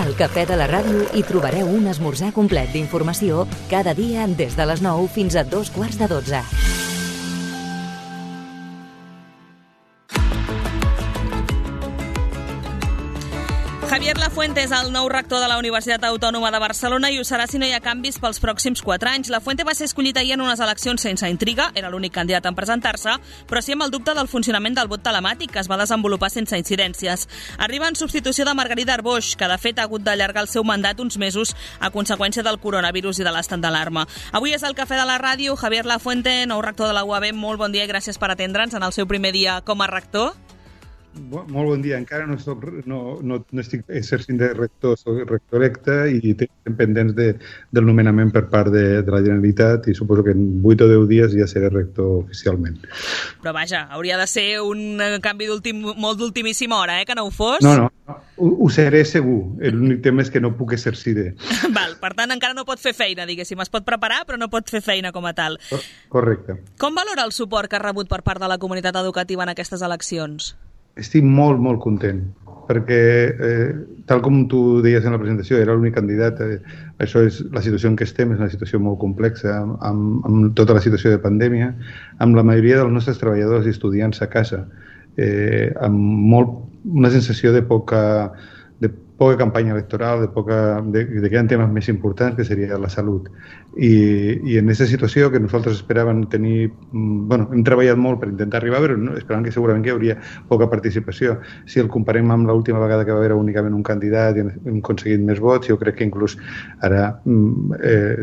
Al Cafè de la Ràdio hi trobareu un esmorzar complet d'informació cada dia des de les 9 fins a 11:45. Javier Lafuente és el nou rector de la Universitat Autònoma de Barcelona i ho serà si no hi ha canvis pels pròxims 4 anys. Lafuente va ser escollit ahir en unes eleccions sense intriga, era l'únic candidat en presentar-se, però sí amb el dubte del funcionament del vot telemàtic, que es va desenvolupar sense incidències. Arriba en substitució de Margarida Arboix, que de fet ha hagut d'allargar el seu mandat uns mesos a conseqüència del coronavirus i de l'estat d'alarma. Avui és el Cafè de la Ràdio. Javier Lafuente, nou rector de la UAB, molt bon dia i gràcies per atendre'ns en el seu primer dia com a rector. Molt bon dia. Encara no estic exercint de rector, soc rector electe i estem pendents del nomenament per part de la Generalitat i suposo que en 8 o 10 dies ja seré rector oficialment. Però vaja, hauria de ser un canvi molt d'ultimíssima hora, que no ho fos? No, ho seré segur. L'únic tema és que no puc exercir. Val, per tant encara no pot fer feina, diguéssim. Es pot preparar però no pot fer feina com a tal. Correcte. Com valora el suport que ha rebut per part de la comunitat educativa en aquestes eleccions? Estic molt, molt content, perquè, tal com tu deies en la presentació, era l'únic candidat. Això és la situació en què estem, és una situació molt complexa, amb tota la situació de pandèmia, amb la majoria dels nostres treballadors i estudiants a casa, amb una sensació de poca campanya electoral, de que hi ha temes més importants, que seria la salut. I en aquesta situació que nosaltres esperàvem tenir... hem treballat molt per intentar arribar, però esperàvem que segurament hi hauria poca participació. Si el comparem amb l'última vegada que va haver únicament un candidat i hem aconseguit més vots, jo crec que inclús ara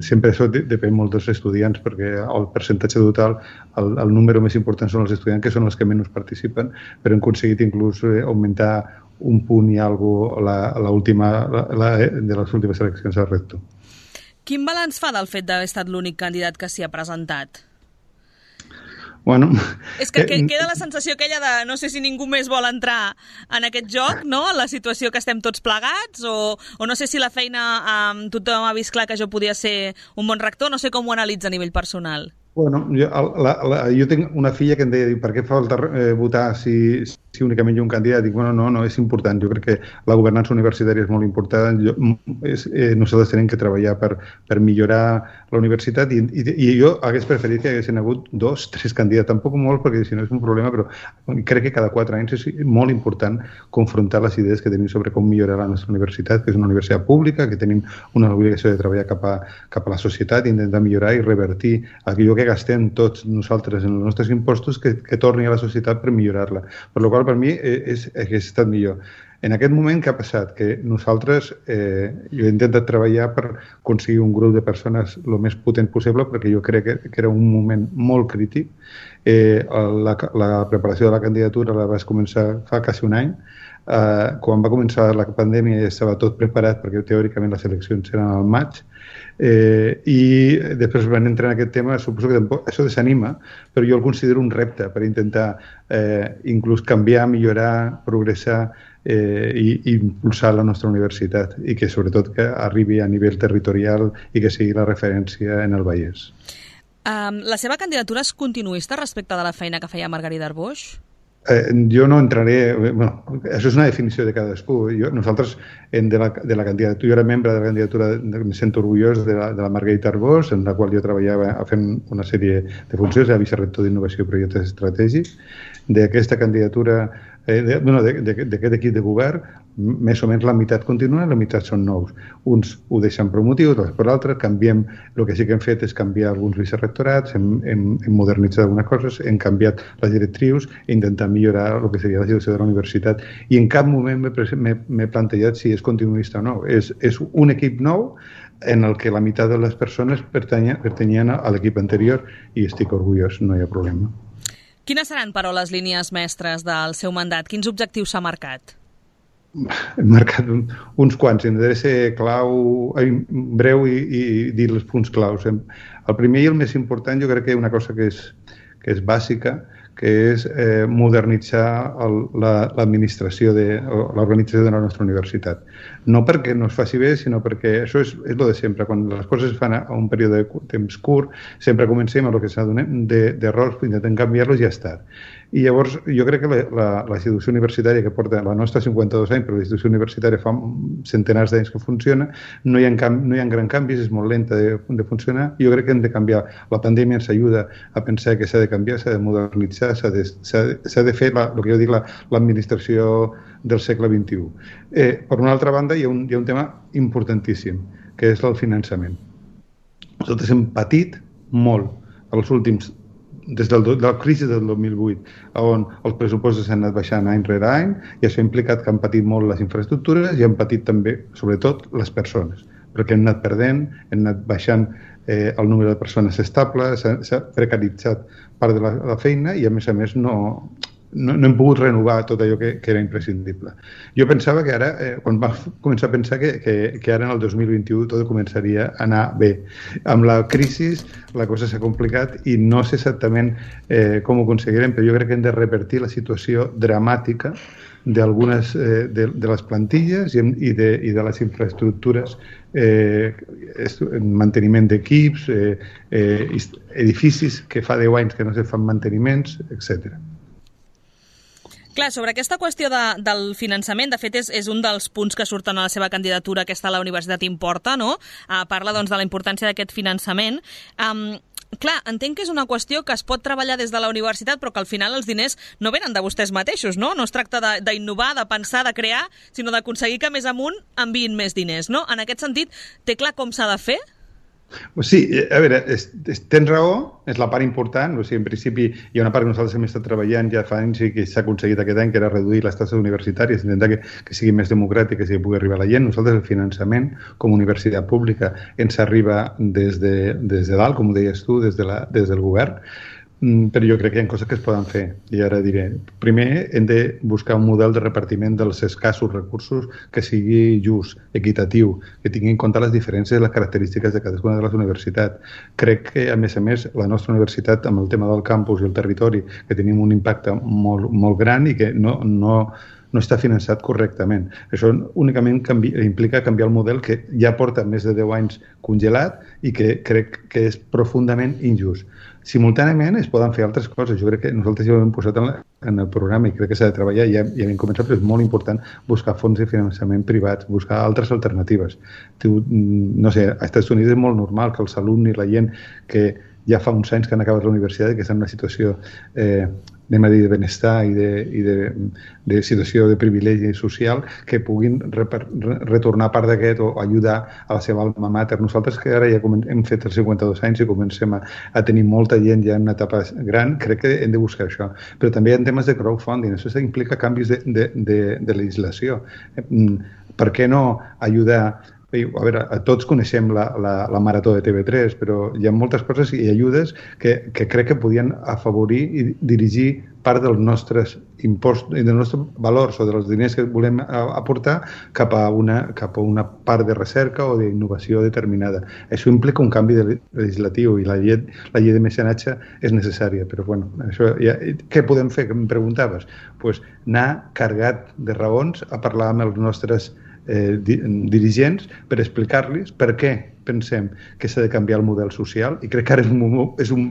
sempre això depèn molt dels estudiants, perquè el percentatge total, el número més important són els estudiants, que són els que menys participen, però hem aconseguit inclús augmentar un punt i alguna cosa de les últimes eleccions al rector. Quin balanç fa del fet d'haver estat l'únic candidat que s'hi ha presentat? Bueno... És que queda la sensació aquella de no sé si ningú més vol entrar en aquest joc, no? En la situació que estem tots plegats, o no sé si la feina tothom ha vist clar que jo podia ser un bon rector, no sé com ho analitza a nivell personal. Bueno, jo tinc una filla que em deia, per què falta votar si únicament hi ha un candidat? Dic, no, és important. Jo crec que la governança universitària és molt important. Nosaltres tenim que treballar per millorar la universitat i jo hagués preferit que haguessin hagut 2, 3 candidats, tampoc molt, perquè si no és un problema, però crec que cada 4 anys és molt important confrontar les idees que tenim sobre com millorar la nostra universitat, que és una universitat pública, que tenim una obligació de treballar cap a la societat, intentar millorar i revertir allò que gastem tots nosaltres en els nostres impostos, que torni a la societat per millorar-la. Per la qual per mi hauria estat millor. En aquest moment, què ha passat? Que nosaltres, jo he intentat treballar per aconseguir un grup de persones el més potent possible, perquè jo crec que era un moment molt crític. La preparació de la candidatura la vaig començar fa quasi un any. Quan va començar la pandèmia ja estava tot preparat, perquè teòricament les eleccions eren al maig, i després van entrar en aquest tema. Suposo que això desanima, però jo el considero un repte per intentar inclús canviar, millorar, progressar i impulsar la nostra universitat, i que sobretot que arribi a nivell territorial i que sigui la referència en el Vallès. La seva candidatura és continuista respecte de la feina que feia Margarida Arboix? Jo no entraré... això és una definició de cadascú. Nosaltres, de la candidatura, jo era membre de la candidatura, em sento orgullós de la Margarida Arboix, en la qual jo treballava fent una sèrie de funcions, era vicerector d'Innovació i Projectes Estratègics. D'aquesta candidatura, d'aquest equip de govern, més o menys la meitat continua i la meitat són nous. Uns ho deixen per un motiu, altres per l'altre, canviem. El que sí que hem fet és canviar alguns vicerectorats, hem modernitzat algunes coses, hem canviat les directrius i intentat millorar el que seria la situació de la universitat. I en cap moment m'he plantejat si és continuista o no. És un equip nou en el que la meitat de les persones pertanyien a l'equip anterior i estic orgullós, no hi ha problema. Quines seran, però, les línies mestres del seu mandat? Quins objectius s'ha marcat? Hem marcat uns quants. Intentaré ser breu i dir els punts claus. El primer i el més important, jo crec que una cosa que és bàsica, que és modernitzar l'administració l'organització de la nostra universitat. No perquè no es faci bé, sinó perquè això és el de sempre. Quan les coses es fan a un període de temps curt, sempre comencem amb el que s'adonem d'errors, intentem canviar-los i ja està. I llavors jo crec que la institució universitària que porta la nostra 52 anys, però la institució universitària fa centenars d'anys que funciona, no hi ha gran canvis, és molt lenta de funcionar. Jo crec que hem de canviar. La pandèmia ens ajuda a pensar que s'ha de canviar, s'ha de modernitzar, s'ha de fer el que jo dic l'administració del segle XXI. Per una altra banda, hi ha un tema importantíssim, que és el finançament. Nosaltres hem patit molt els últims des de la crisi del 2008, on els pressupostos s'han anat baixant any rere any, i això ha implicat que han patit molt les infraestructures i han patit també, sobretot, les persones, perquè hem anat perdent, hem anat baixant el número de persones estables, s'ha precaritzat part de la feina i, a més, no hem pogut renovar tot allò que era imprescindible. Jo pensava que ara, quan va començar a pensar que ara en el 2021 tot començaria a anar bé. Amb la crisi la cosa s'ha complicat i no sé exactament com ho aconseguirem, però jo crec que hem de revertir la situació dramàtica d'algunes de les plantilles i de les infraestructures, manteniment d'equips, edificis que fa 10 anys que no se fan manteniments, etc. Clar, sobre aquesta qüestió del finançament, de fet és un dels punts que surten a la seva candidatura, aquesta La Universitat Importa, no? Parla doncs de la importància d'aquest finançament. Clar, entenc que és una qüestió que es pot treballar des de la universitat, però que al final els diners no venen de vostès mateixos, no? No es tracta d'innovar, de pensar, de crear, sinó d'aconseguir que més amunt enviïn més diners, no? En aquest sentit, té clar com s'ha de fer? Sí, a veure, tens raó, és la part important. O sigui, en principi hi ha una part que nosaltres hem estat treballant ja fa anys i que s'ha aconseguit aquest any, que era reduir les taxes universitàries, intentar que sigui més democràtic, que pugui arribar a la gent. Nosaltres el finançament com a universitat pública ens arriba des de dalt, com ho deies tu, des del govern, però jo crec que hi ha coses que es poden fer, i ara diré. Primer, hem de buscar un model de repartiment dels escassos recursos que sigui just, equitatiu, que tingui en compte les diferències i les característiques de cadascuna de les universitats. Crec que, a més, la nostra universitat, amb el tema del campus i el territori, que tenim un impacte molt, molt gran i que no està finançat correctament. Això únicament implica canviar el model que ja porta més de 10 anys congelat i que crec que és profundament injust. Simultàniament es poden fer altres coses. Jo crec que nosaltres ja ho hem posat en el programa i crec que s'ha de treballar, ja hem començat, però és molt important buscar fons de finançament privats, buscar altres alternatives. No sé, als Estats Units és molt normal que els alumnes i la gent que ja fa uns anys que han acabat la universitat i que estan en una situació anem a dir, de benestar i de situació de privilegi social, que puguin retornar part d'aquest o ajudar a la seva alma mater. Nosaltres, que ara ja hem fet els 52 anys i comencem a tenir molta gent ja en una etapa gran, crec que hem de buscar això. Però també hi ha temes de crowdfunding, això implica canvis de legislació. Per què no ajudar? A veure, tots coneixem la marató de TV3, però hi ha moltes coses i ajudes que crec que podien afavorir i dirigir part dels nostres impostos i dels nostres valors o dels diners que volem aportar cap a una part de recerca o d'innovació determinada. Això implica un canvi legislatiu i la llei de mecenatge és necessària, però bueno, això què podem fer, que em preguntaves? Pues anar carregat de raons a parlar amb els nostres dirigents per explicar-los per què pensem que s'ha de canviar el model social, i crec que ara és un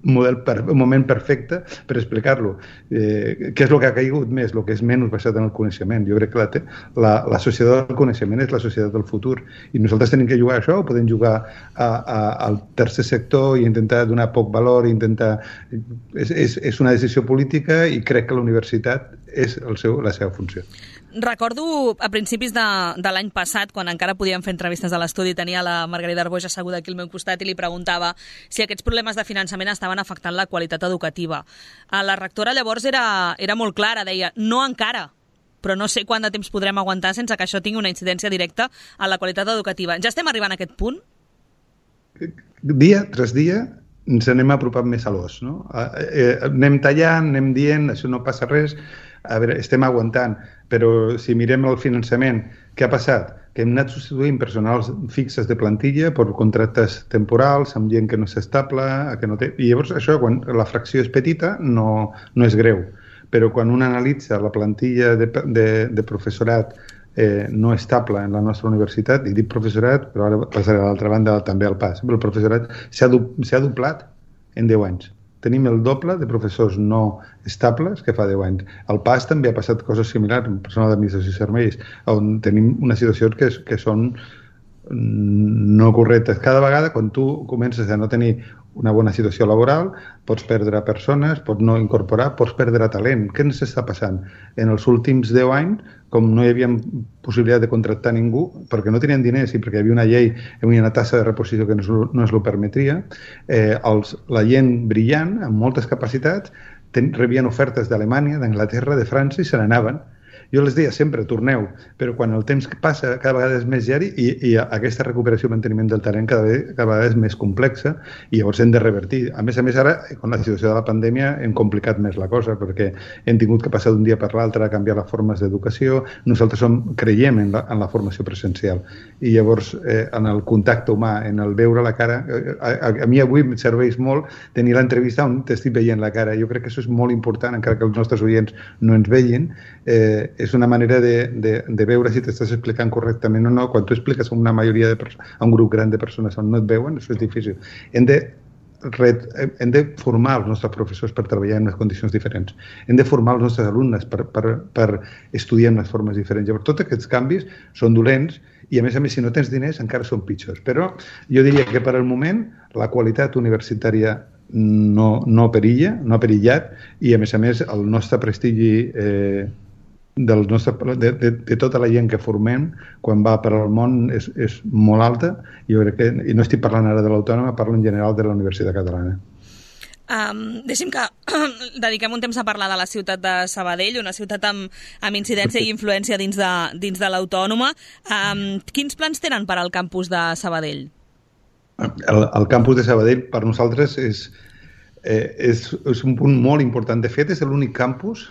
moment perfecte per explicar-lo. Què és el que ha caigut més, el que és menys basat en el coneixement? Jo crec que la societat del coneixement és la societat del futur, i nosaltres tenim que jugar a això o podem jugar al tercer sector i intentar donar poc valor, és una decisió política, i crec que la universitat és la seva funció. Recordo a principis de l'any passat, quan encara podíem fer entrevistes a l'estudi, tenia la Margarida Arboix asseguda aquí al meu costat i li preguntava si aquests problemes de finançament estaven afectant la qualitat educativa. La rectora llavors era molt clara, deia, no encara, però no sé quant de temps podrem aguantar sense que això tingui una incidència directa a la qualitat educativa. Ja estem arribant a aquest punt? Dia tras dia ens anem apropant més a l'os, no? Anem tallant, anem dient, això no passa res. a veure, estem aguantant, però si mirem el finançament, què ha passat? Que hem anat substituint personals fixes de plantilla per contractes temporals, amb gent que no és estable, que no té... I llavors això, quan la fracció és petita, no és greu. Però quan un analitza la plantilla de professorat no estable en la nostra universitat, i dic professorat, però ara passaré a l'altra banda també al PAS, però el professorat s'ha doblat en 10 anys. Tenim el doble de professors no estables que fa 10 anys. Al PAS també ha passat coses similars, en personal d'administració i serveis, on tenim una situació que són no correctes. Cada vegada, quan tu comences a no tenir una bona situació laboral, pots perdre persones, pots no incorporar, pots perdre talent. Què ens està passant? En els últims 10 anys, com no hi havia possibilitat de contractar ningú, perquè no tenien diners i perquè hi havia una llei, hi havia una tassa de reposició que no es lo permetria, la gent brillant, amb moltes capacitats, rebien ofertes d'Alemanya, d'Anglaterra, de França i se n'anaven. Jo les deia sempre, torneu, però quan el temps passa cada vegada és més diari i aquesta recuperació i manteniment del talent cada vegada és més complexa i llavors hem de revertir. A més, ara, amb la situació de la pandèmia, hem complicat més la cosa perquè hem tingut que passar d'un dia per l'altre a canviar les formes d'educació. Nosaltres creiem en la formació presencial i llavors en el contacte humà, en el veure la cara, a mi avui em serveix molt tenir l'entrevista on t'estic veient la cara. Jo crec que això és molt important, encara que els nostres oients no ens vegin. És una manera de veure si t'estàs explicant correctament o no. Quan tu expliques a una majoria a un grup gran de persones on no et veuen, això és difícil. Hem de formar els nostres professors per treballar en unes condicions diferents. Hem de formar els nostres alumnes per estudiar en unes formes diferents. Llavors, tots aquests canvis són dolents i, a més, si no tens diners, encara són pitjors. Però jo diria que per al moment la qualitat universitària no perilla, no ha perillat i, a més, el nostre prestigi de tota la gent que formem quan va per al món és molt alta. Jo crec que, i no estic parlant ara de l'Autònoma, parlo en general de la Universitat Catalana. Deixi'm que dediquem un temps a parlar de la ciutat de Sabadell, una ciutat amb incidència i influència dins de l'Autònoma. Quins plans tenen per al campus de Sabadell? El campus de Sabadell per nosaltres és un punt molt important. De fet, és l'únic campus,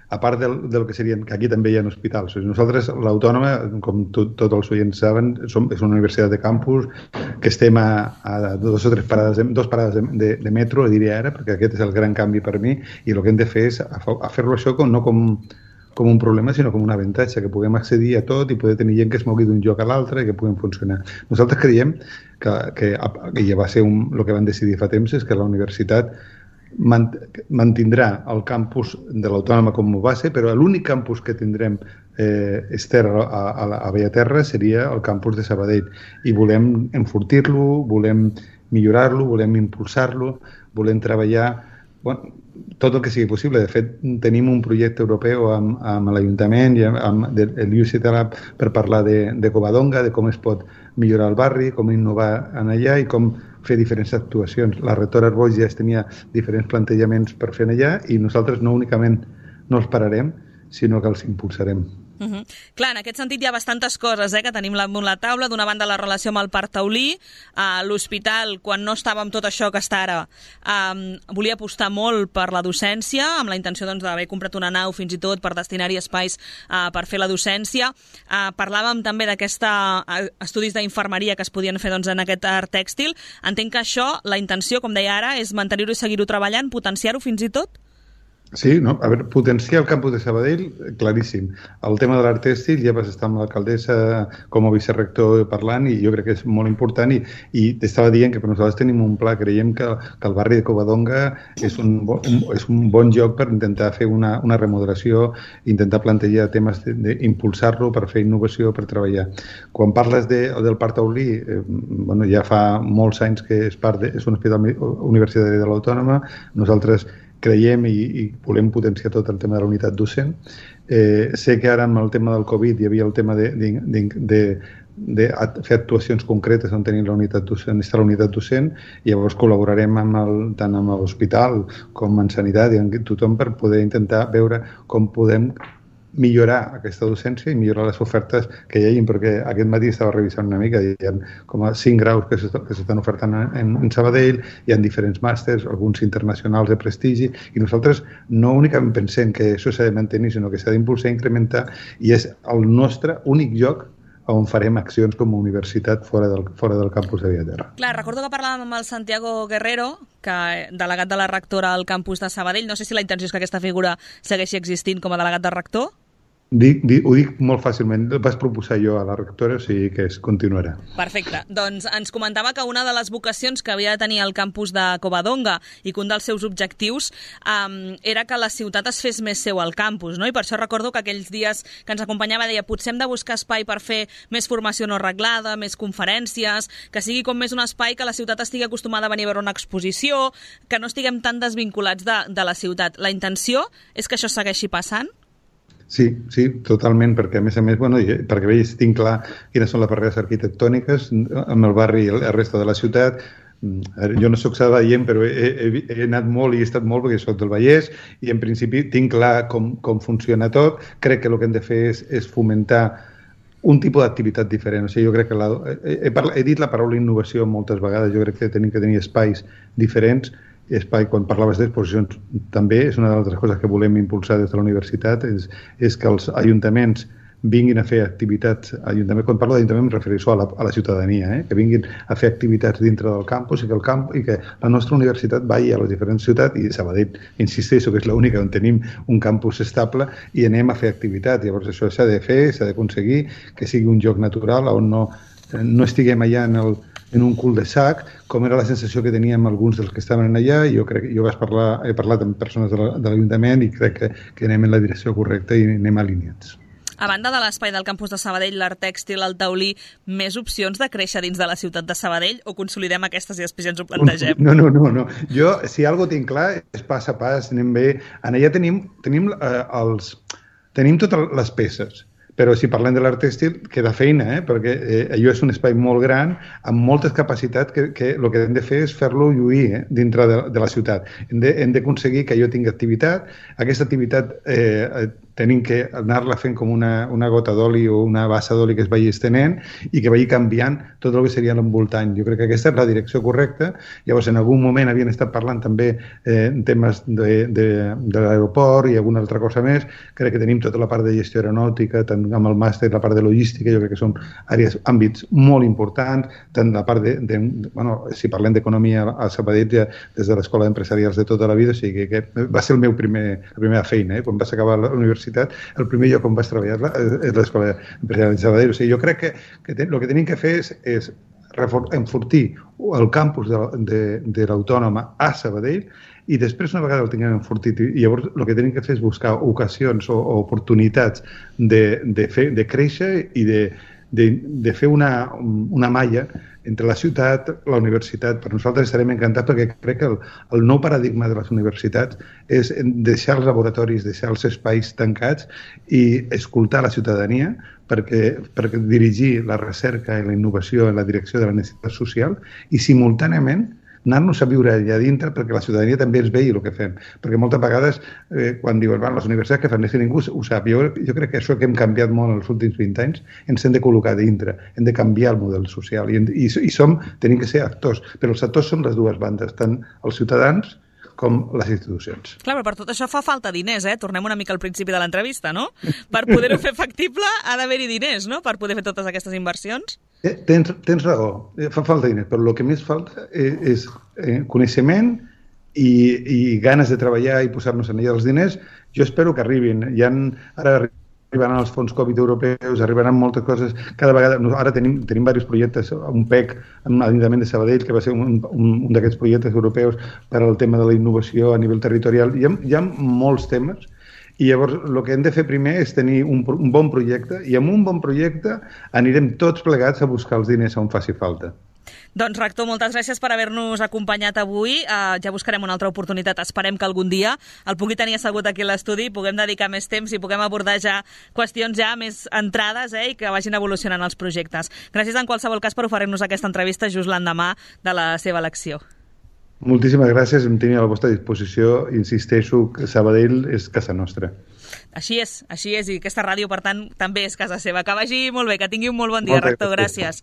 a part del que serien, que aquí també hi ha hospitals. Nosaltres, l'Autònoma, com tots els oients saben, és una universitat de campus que estem a dos o tres parades de metro, diria ara, perquè aquest és el gran canvi per mi, i el que hem de fer és fer-lo això no com un problema, sinó com un avantatge, que puguem accedir a tot i poder tenir gent que es mogui d'un lloc a l'altre i que puguem funcionar. Nosaltres creiem que ja va ser el que van decidir fa temps, és que la universitat mantindrà el campus de l'Autònoma com a base, però l'únic campus que tindrem a Bellaterra seria el campus de Sabadell i volem enfortir-lo, volem millorar-lo, volem impulsar-lo, volem treballar tot el que sigui possible. De fet, tenim un projecte europeu amb l'Ajuntament i amb l'UCT Lab per parlar de Covadonga, de com es pot millorar el barri, com innovar en allà i com fer diferents actuacions. La rectora Arbós ja tenia diferents plantejaments per fer allà i nosaltres no únicament no els pararem, sinó que els impulsarem. Clar, en aquest sentit hi ha bastantes coses que tenim damunt la taula. D'una banda, la relació amb el Parc Taulí. L'hospital, quan no estava amb tot això que està ara, volia apostar molt per la docència, amb la intenció d'haver comprat una nau fins i tot per destinar-hi espais per fer la docència. Parlàvem també d'aquests estudis d'infermeria que es podien fer en aquest art tèxtil. Entenc que això, la intenció, com deia ara, és mantenir-ho i seguir-ho treballant, potenciar-ho fins i tot? Sí, no? A veure, potenciar el campus de Sabadell, claríssim. El tema de l'art tèxtil, ja vas estar amb l'alcaldessa com a vicerector parlant i jo crec que és molt important i t'estava dient que per nosaltres tenim un pla. Creiem que el barri de Covadonga és un bon lloc per intentar fer una remodelació, intentar plantejar temes d'impulsar-lo per fer innovació, per treballar. Quan parles del Parc Taulí, ja fa molts anys que és un hospital universitari de l'Autònoma. Nosaltres creiem i volem potenciar tot el tema de la unitat docent. Sé que ara amb el tema del Covid hi havia el tema de fer actuacions concretes on tenir la unitat docent i llavors col·laborarem tant amb l'hospital com amb sanitat i amb tothom per poder intentar veure com podem millorar aquesta docència i millorar les ofertes que hi hagi, perquè aquest matí estava revisant una mica, hi ha com a 5 graus que s'estan ofertant en Sabadell, hi ha diferents màsters, alguns internacionals de prestigi, i nosaltres no únicament pensem que això s'ha de mantenir, sinó que s'ha d'impulsar i incrementar, i és el nostre únic lloc on farem accions com a universitat fora del campus de Vilaterra. Clar, recordo que parlàvem amb el Santiago Guerrero, delegat de la rectora al campus de Sabadell. No sé si la intenció és que aquesta figura segueixi existint com a delegat de rector. Ho dic molt fàcilment. Vas proposar jo a la rectora, o sigui que es continuarà. Perfecte. Doncs ens comentava que una de les vocacions que havia de tenir el campus de Covadonga i que un dels seus objectius era que la ciutat es fes més seu al campus, no? I per això recordo que aquells dies que ens acompanyava deia potser hem de buscar espai per fer més formació no reglada, més conferències, que sigui com més un espai que la ciutat estigui acostumada a venir a veure una exposició, que no estiguem tan desvinculats de la ciutat. La intenció és que això segueixi passant? Sí, totalment, perquè a més, perquè veig, tinc clar quines són les barreres arquitectòniques amb el barri i la resta de la ciutat. Jo no soc sabadellenc, però he anat molt i he estat molt perquè soc del Vallès i en principi tinc clar com funciona tot. Crec que el que hem de fer és fomentar un tipus d'activitat diferent. O sigui, jo crec que he dit la paraula innovació moltes vegades. Jo crec que tenim que tenir espais diferents. Quan parlaves d'exposicions, també és una de les coses que volem impulsar des de la universitat, és que els ajuntaments vinguin a fer activitats. Quan parlo d'ajuntament em refereixo a la ciutadania, que vinguin a fer activitats dintre del campus i que la nostra universitat vagi a les diferents ciutats, i Sabadell, insisteixo que és l'única on tenim un campus estable, i anem a fer activitats. Llavors això s'ha de fer, s'ha d'aconseguir que sigui un lloc natural on no estiguem allà en un cul de sac, com era la sensació que teníem alguns dels que estaven allà. Jo he parlat amb persones de l'Ajuntament i crec que anem en la direcció correcta i anem alineats. A banda de l'espai del campus de Sabadell, l'Art Tèxtil, el taulí, més opcions de créixer dins de la ciutat de Sabadell o consolidem aquestes i després ja ens ho plantegem? No. Jo, si alguna cosa tinc clar, és pas a pas, anem bé. Allà tenim totes les peces. Però si parlem de l'art tèxtil, queda feina, perquè allò és un espai molt gran, amb moltes capacitats, que el que hem de fer és fer-lo lluir dintre de la ciutat. Hem d'aconseguir que allò tingui activitat. Aquesta activitat tenim que anar-la fent com una gota d'oli o una bassa d'oli que es vagi estenent i que vagi canviant tot el que seria l'envoltant. Jo crec que aquesta és la direcció correcta. Llavors, en algun moment havien estat parlant també en temes de l'aeroport i alguna altra cosa més. Crec que tenim tota la part de gestió aeronàutica, tant amb el màster, la part de logística, jo crec que són àmbits molt importants, tant la part si parlem d'economia a Sabadell, ja des de l'Escola d'Empresarials de tota la vida, o sigui que va ser la primera feina, quan vas acabar la universitat, el primer lloc on vaig treballar és l'Escola d'Empresarials de Sabadell. O sigui, jo crec que el que tenim que fer és enfortir el campus de l'Autònoma a Sabadell i després, una vegada el tinguem enfortit, i llavors el que tenim que fer és buscar ocasions o oportunitats de créixer i de fer una malla entre la ciutat, la universitat. Per nosaltres estarem encantats perquè crec que el nou paradigma de les universitats és deixar els laboratoris, deixar els espais tancats i escoltar la ciutadania perquè dirigir la recerca i la innovació en la direcció de la necessitat social i simultàniament anar-nos a viure allà dintre perquè la ciutadania també ens vegi el que fem. Perquè moltes vegades, quan diuen les universitats que fan, és que ningú ho sap. Jo crec que això que hem canviat molt en els últims 20 anys ens hem de col·locar dintre, hem de canviar el model social i tenim que ser actors, però els actors són les dues bandes, tant els ciutadans com les institucions. Clar, però per tot això fa falta diners, Tornem una mica al principi de l'entrevista, no? Per poder-ho fer factible ha d'haver-hi diners, no?, per poder fer totes aquestes inversions. Tens raó, fa falta diners, però el que més falta és coneixement i ganes de treballar i posar-nos en ella els diners. Jo espero que arribin. Ara arribaran els fons Covid europeus, arribaran moltes coses. Cada vegada, ara tenim diversos projectes, un PEC amb l'Ajuntament de Sabadell, que va ser un d'aquests projectes europeus per al tema de la innovació a nivell territorial. Hi ha molts temes i llavors el que hem de fer primer és tenir un bon projecte i amb un bon projecte anirem tots plegats a buscar els diners on faci falta. Doncs, rector, moltes gràcies per haver-nos acompanyat avui. Ja buscarem una altra oportunitat. Esperem que algun dia el pugui tenir assegut aquí a l'estudi, puguem dedicar més temps i puguem abordar ja qüestions ja més entrades i que vagin evolucionant els projectes. Gràcies en qualsevol cas per oferir-nos aquesta entrevista just l'endemà de la seva elecció. Moltíssimes gràcies, em tenia a la vostra disposició. Insisteixo que Sabadell és casa nostra. Així és, i aquesta ràdio, per tant, també és casa seva. Que vagi molt bé, que tingui un molt bon dia, rector. Gràcies.